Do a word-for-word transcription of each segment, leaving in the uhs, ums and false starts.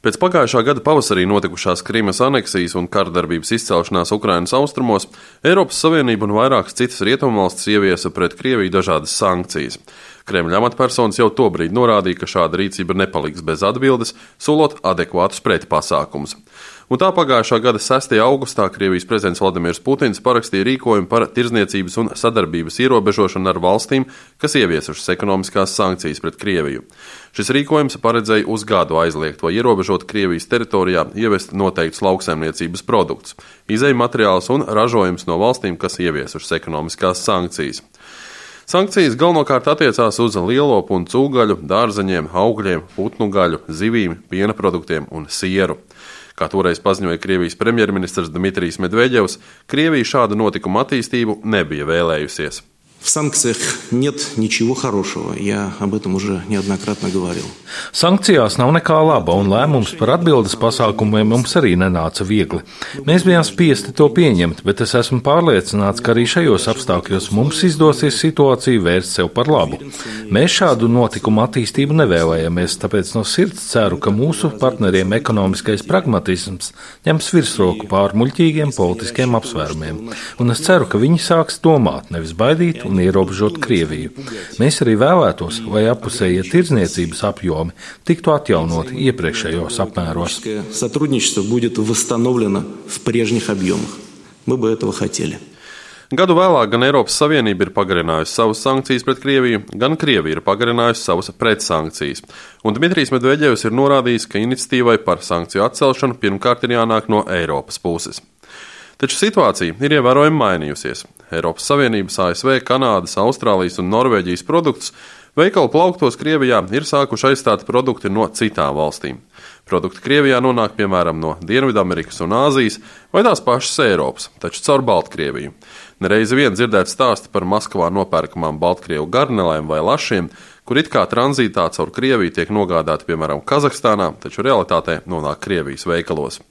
Pēc pagājušā gada pavasarī notikušās Krimas aneksijas un kardarbības izcelšanās Ukrainas austrumos, Eiropas Savienība un vairākas citas rietumvalstis ieviesa pret Krieviju dažādas sankcijas. Kremļa amatpersonas jau tobrīd norādīja, ka šāda rīcība nepaliks bez atbildes, solot adekvātus pretpasākumus. Un tā pagājušā gada sestajā augustā Krievijas prezidents Vladimirs Putins parakstīja rīkojumu par tirdzniecības un sadarbības ierobežošanu ar valstīm, kas ieviesušas ekonomiskās sankcijas pret Krieviju. Šis rīkojums paredzēja uz gadu aizliegt vai ierobežot Krievijas teritorijā ievest noteiktus lauksaimniecības produktus, izēju materiālus un ražojumus no valstīm, kas ieviesušas ekonomiskās sankcijas. Sankcijas galvenokārt attiecās uz lielopu un cūgaļu, dārzeņiem, augļiem, putnu gaļu, zivīm, piena produktiem un sieru. Kā toreiz paziņoja Krievijas premjerministrs Dmitrijs Medvedevs, Krievija šādu notikumu attīstību nebija vēlējusies. В санкциях нет ничего хорошего, я об этом уже неоднократно говорил. Sankcijās nav nekā laba, un lēmums par atbildes pasākumiem mums arī nenāca viegli. Mēs bijām spiesti to pieņemt, bet es esmu pārliecināts, ka arī šajos apstākļos mums izdosies situāciju vērst sev par labu. Mēs šādu notikumu attīstību nevēlējamies, tāpēc no sirds ceru, ka mūsu partneriem ekonomiskais pragmatisms ņems virsroku pār muļķīgiem politiskiem apsvērumiem. Un es ceru, ka viņi sāks domāt, nevis baidīt un ierobežot Krieviju. Mēs arī vēlētos, lai appusējie tirdzniecības apjomi tiktu atjaunoti iepriekšējos apmēros. Сотрудничество будет восстановлено в прежних объемах. Мы бы этого хотели. Gadu vēlāk gan Eiropas Savienība ir pagarinājusi savas sankcijas pret Krieviju, gan Krievija ir pagarinājusi savas pretsankcijas. Un Dmitrijs Medvedevs ir norādījis, ka iniciatīvai par sankciju atcelšanu pirmkārt ir jānāk no Eiropas puses. Taču situācija ir ievērojami mainījusies. Eiropas Savienības, A S V, Kanādas, Austrālijas un Norvēģijas produktus veikalu plauktos Krievijā ir sākuši aizstāt produkti no citām valstīm. Produkti Krievijā nonāk piemēram no Dienvidamerikas un Āzijas vai tās pašas Eiropas, taču caur Baltkrieviju. Nereizi vien dzirdēt stāsti par Maskavā nopērkamām Baltkrievu garnelēm vai lašiem, kur it kā tranzītā caur Krieviju tiek nogādāti piemēram Kazahstānā, taču realitātē nonāk Krievijas veikalos.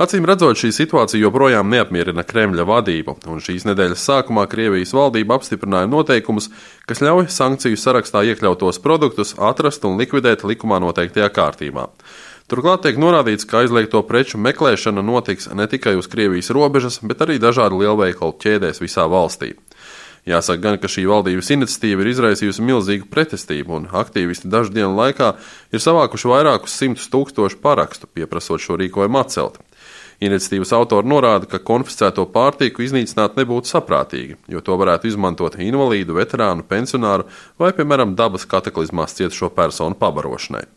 Acīm redzot, šī situācija joprojām neapmierina Kremļa vadību, un šīs nedēļas sākumā Krievijas valdība apstiprināja noteikumus, kas ļauj sankciju sarakstā iekļautos produktus atrast un likvidēt likumā noteiktajā kārtībā. Turklāt tiek norādīts, ka aizliegto preču meklēšana notiks ne tikai uz Krievijas robežas, bet arī dažādu lielveikalu ķēdēs visā valstī. Jāsaka gan, ka šī valdības iniciatīva ir izraisījusi milzīgu pretestību, un aktīvisti dažu dienu laikā ir savākuši vairākus simtus tūkstošu parakstu, pieprasot šo rīkojumu atcelt. Iniciatīvas autori norāda, ka konfiscēto pārtiku iznīcināt nebūtu saprātīgi, jo to varētu izmantot invalīdu, veterānu, pensionāru vai, piemēram, dabas kataklizmās cietušo personu pabarošanai.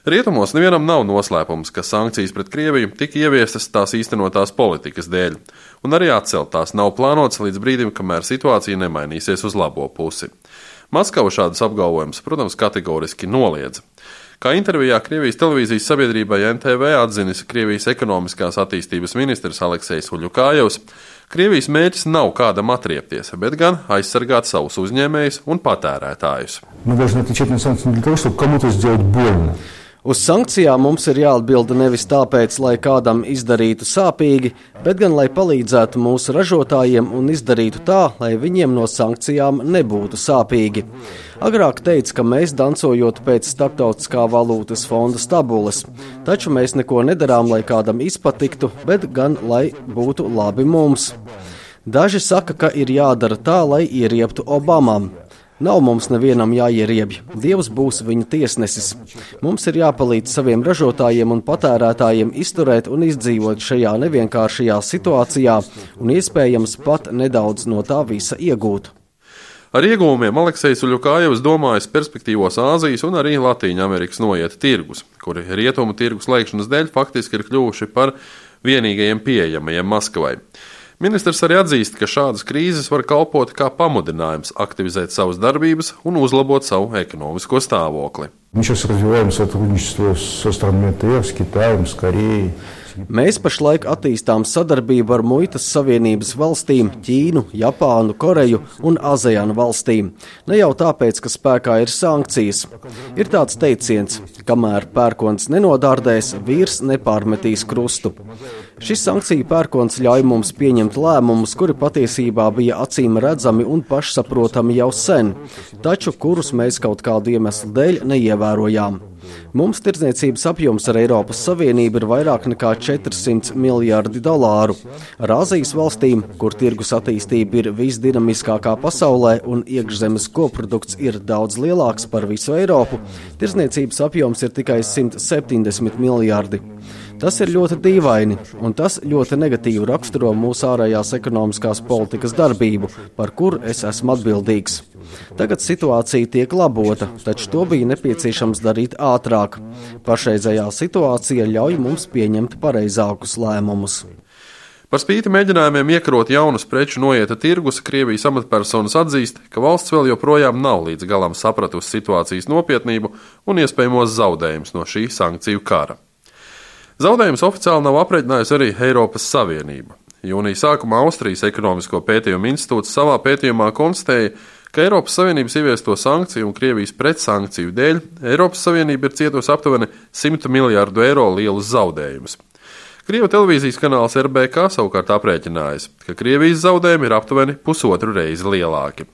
Rietumos nevienam nav noslēpums, ka sankcijas pret Krieviju tika ieviestas tās īstenotās politikas dēļ, un arī atcelt tās nav plānotas līdz brīdim, kamēr situācija nemainīsies uz labo pusi. Maskava šādus apgalvojumus, protams, kategoriski noliedza. Kā intervijā Krievijas televīzijas sabiedrībai N T V atzinis Krievijas ekonomiskās attīstības ministrs Aleksejs Uļukājevs, Krievijas mērķis nav kādam atriepties, bet gan aizsargāt savus uzņēmējus un patērētājus. Uz sankcijām mums ir jāatbild nevis tāpēc, lai kādam izdarītu sāpīgi, bet gan lai palīdzētu mūsu ražotājiem un izdarītu tā, lai viņiem no sankcijām nebūtu sāpīgi. Agrāk teica, ka mēs dancojot pēc Starptautiskā valūtas fonda stabules, taču mēs neko nedarām, lai kādam izpatiktu, bet gan lai būtu labi mums. Daži saka, ka ir jādara tā, lai ieriebtu Obamam. Nav mums nevienam jāieriebj, Dievs būs viņa tiesnesis. Mums ir jāpalīdz saviem ražotājiem un patērētājiem izturēt un izdzīvot šajā nevienkāršajā situācijā un iespējams pat nedaudz no tā visa iegūt. Ar ieguvumiem Aleksejs Uļukājevs domājas perspektīvos Āzijas un arī Latīņa Amerikas noieta tirgus, kuri rietumu tirgus slēgšanas dēļ faktiski ir kļuvuši par vienīgajiem pieejamajiem Maskavai. Ministrs arī atzīst, ka šādas krīzes var kalpot kā pamudinājums aktivizēt savas darbības un uzlabot savu ekonomisko stāvokli. Mēs pašlaik attīstām sadarbību ar Muitas Savienības valstīm, Ķīnu, Japānu, Koreju un ASEAN valstīm. Ne jau tāpēc, ka spēkā ir sankcijas. Ir tāds teiciens, kamēr pērkons nenodārdēs, vīrs nepārmetīs krustu. Šis sankciju pērkons ļauj mums pieņemt lēmumus, kuri patiesībā bija acīm redzami un pašsaprotami jau sen, taču kurus mēs kaut kādu iemeslu dēļ neievērojām. Mums tirdzniecības apjoms ar Eiropas Savienību ir vairāk nekā četrsimt miljardi dolāru. Ar Āzijas valstīm, kur tirgus attīstība ir visdinamiskākā pasaulē un iekšzemes koprodukts ir daudz lielāks par visu Eiropu, tirdzniecības apjoms ir tikai simt septiņdesmit miljardi. Tas ir ļoti dīvaini, un tas ļoti negatīvi raksturo mūsu ārējās ekonomiskās politikas darbību, par kuru es esmu atbildīgs. Tagad situācija tiek labota, taču to bija nepieciešams darīt ātrāk. Pašreizējā situācija ļauj mums pieņemt pareizākus lēmumus. Par spīti mēģinājumiem iekarot jaunus preču noieta tirgus, Krievijas amatpersonas atzīst, ka valsts vēl joprojām nav līdz galam sapratusi situācijas nopietnību un iespējamos zaudējumus no šī sankciju kara. Zaudējumus oficiāli nav aprēķinājusi arī Eiropas Savienība. Jūnija sākumā Austrijas ekonomisko pētījumu institūts savā pētījumā konstatēja, ka Eiropas Savienības ieviesto sankciju un Krievijas pretsankciju dēļ Eiropas Savienība ir cietusi aptuveni simt miljardu eiro lielus zaudējumus. Krievu televīzijas kanāls R B K savukārt aprēķinājis, ka Krievijas zaudējumi ir aptuveni pusotru reizi lielāki.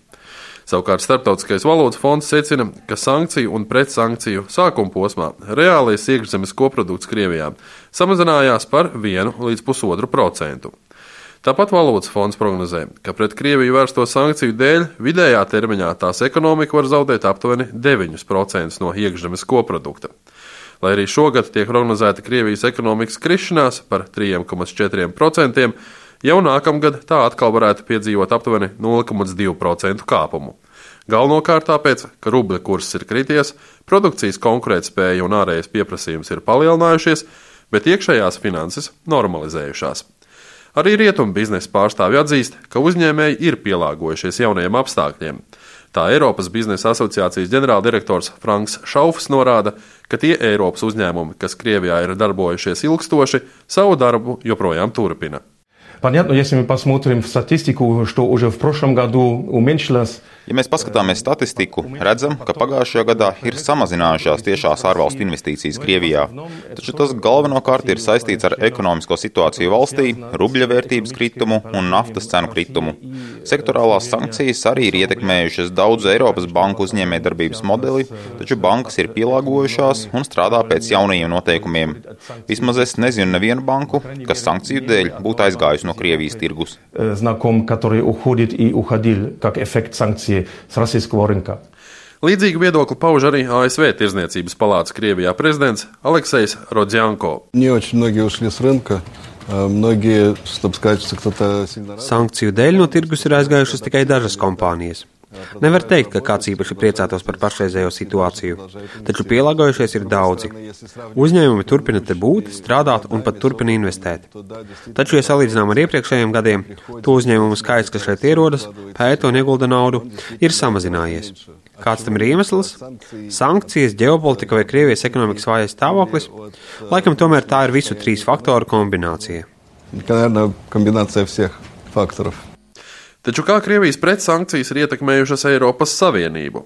Savukārt Starptautiskais valūtas fonds secina, ka sankciju un pretsankciju sākuma posmā reālais iekšzemes koprodukts Krievijā samazinājās par vienu līdz pusotru procentu. Tāpat valūtas fonds prognozē, ka pret Krieviju vērsto sankciju dēļ vidējā termiņā tās ekonomika var zaudēt aptuveni deviņus procentus no iekšzemes koprodukta. Lai arī šogad tiek prognozēta Krievijas ekonomikas krišanās par trīs komats četri procenti, jau nākamgad tā atkal varētu piedzīvot aptuveni nulle komats divi procenti kāpumu. Galvenokārt tāpēc, ka rubļa kurss ir krities, produkcijas konkurētspēja un ārējais pieprasījums ir palielinājušies, bet iekšējās finanses normalizējušās. Arī rietumu biznesa pārstāvji atzīst, ka uzņēmēji ir pielāgojušies jaunajiem apstākļiem. Tā Eiropas biznesa asociācijas ģenerāldirektors Franks Šaufs norāda, ka tie Eiropas uzņēmumi, kas Krievijā ir darbojušies ilgstoši, savu darbu joprojām turpina. Понятно, если мы посмотрим в статистику, что уже в прошлом году уменьшилось. Ja mēs paskatāmies statistiku, redzam, ka pagājušajā gadā ir samazinājušās tiešās ārvalstu investīcijas Krievijā. Taču tas galvenokārt ir saistīts ar ekonomisko situāciju valstī, rubļa vērtības kritumu un naftas cenu kritumu. Sektorālās sankcijas arī ir ietekmējušas daudzu Eiropas banku uzņēmējdarbības modeli, taču bankas ir pielāgojušās un strādā pēc jaunajiem noteikumiem. Vismaz es nezinu nevienu banku, kas sankciju dēļ būtu aizgājusi no Krievijas tirgus. Знаком, который уходит и уходил как эффект санкций с российского рынка. Līdzīgu viedokli pauž arī A S V Tirdzniecības palātas Krievijā prezidents Aleksejs Rodzianko. Не очень многие ушли с рынка. Многие, чтобы сказать, что кто-то сильно... Sankciju dēļ no tirgus ir aizgājušas tikai dažas kompānijas. Nevar teikt, ka kāds īpaši priecātos par pašreizējo situāciju, taču pielāgojušies ir daudzi. Uzņēmumi turpina te būt, strādāt un pat turpina investēt. Taču, ja salīdzinām ar iepriekšējiem gadiem, to uzņēmumu skaits, kas šeit ierodas, pēta un iegulda naudu, ir samazinājies. Kāds tam ir iemesls? Sankcijas, ģeopolitika vai Krievijas ekonomikas vājais stāvoklis? Laikam tomēr tā ir visu trīs faktoru kombinācija. Наверное, комбинация всех факторов. Taču kā Krievijas pretsankcijas ir ietekmējušas Eiropas Savienību?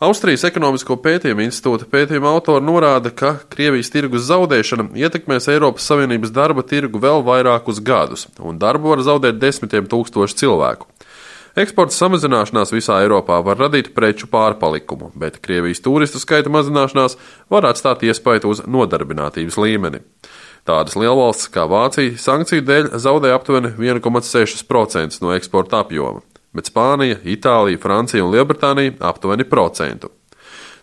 Austrijas ekonomisko pētījumu institūta pētījuma autori norāda, ka Krievijas tirgus zaudēšana ietekmēs Eiropas Savienības darba tirgu vēl vairākus gadus, un darbu var zaudēt desmitiem tūkstošu cilvēku. Eksporta samazināšanās visā Eiropā var radīt preču pārpalikumu, bet Krievijas turistu skaita mazināšanās var atstāt iespaidu uz nodarbinātības līmeni. Tādas lielvalstis kā Vācija sankciju dēļ zaudēja aptuveni viens komats seši procenti no eksporta apjoma, bet Spānija, Itālija, Francija un Lielbritānija aptuveni procentu.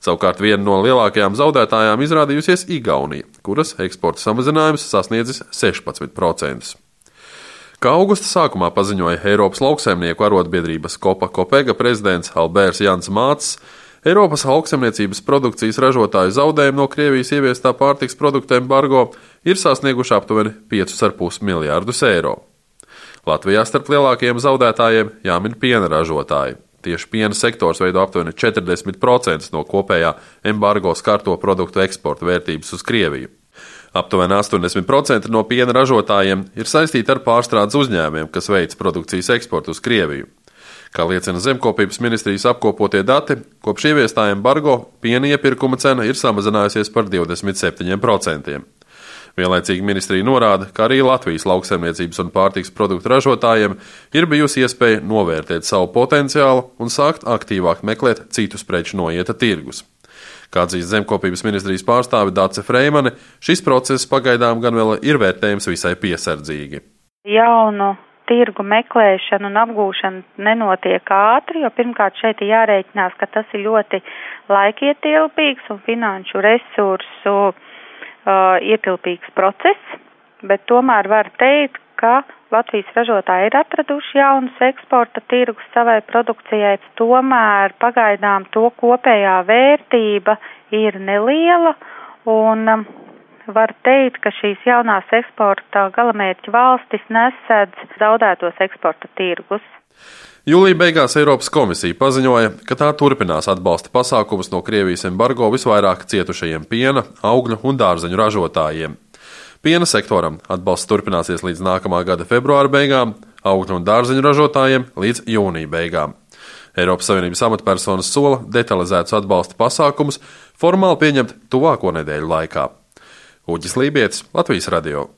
Savukārt viena no lielākajām zaudētājām izrādījusies Igaunija, kuras eksporta samazinājums sasniedzis sešpadsmit procentus. Kā augusta sākumā paziņoja Eiropas lauksaimnieku arotbiedrības Kopa Kopega prezidents Alberts Jans Mācis, Eiropas lauksaimniecības produkcijas ražotāju zaudējumi no Krievijas ieviestā pārtiks produktu embargo ir sasnieguši aptuveni piecus ar pus miljārdus eiro. Latvijā starp lielākajiem zaudētājiem jāmin piena ražotāji. Tieši piena sektors veido aptuveni četrdesmit procenti no kopējā embargo skarto produktu eksporta vērtības uz Krieviju. Aptuveni astoņdesmit procenti no piena ražotājiem ir saistīti ar pārstrādes uzņēmumiem, kas veic produkcijas eksportu uz Krieviju. Kā liecina Zemkopības ministrijas apkopotie dati, kopš ieviestā embargo piena iepirkuma cena ir samazinājusies par divdesmit septiņiem procentiem. Vienlaicīgi ministrija norāda, ka arī Latvijas lauksaimniecības un pārtiks produktu ražotājiem ir bijusi iespēja novērtēt savu potenciālu un sākt aktīvāk meklēt citus preču noieta tirgus. Kā atzīst Zemkopības ministrijas pārstāve Dace Freimane, šis process pagaidām gan vēl ir vērtējams visai piesardzīgi. Jaunu tirgu meklēšana un apgūšana nenotiek ātri, jo pirmkārt šeit ir jārēķinās, ka tas ir ļoti laikietilpīgs un finanšu resursu uh, ietilpīgs process, bet tomēr var teikt, ka Latvijas ražotāji ir atraduši jaunus eksporta tirgus savai produkcijai, tomēr pagaidām to kopējā vērtība ir neliela un um, var teikt, ka šīs jaunās eksporta galamērķa valstis nesedz zaudētos eksporta tirgus. Jūlija beigās Eiropas komisija paziņoja, ka tā turpinās atbalsta pasākumus no Krievijas embargo visvairāk cietušajiem piena, augļu un dārzeņu ražotājiem. Piena sektoram atbalsts turpināsies līdz nākamā gada februāra beigām, augļu un dārzeņu ražotājiem līdz jūnija beigām. Eiropas Savienības amatpersonas sola detalizētus atbalsta pasākumus formāli pieņemt tuvāko nedēļu laikā. Uģis Lībietis, Latvijas radio.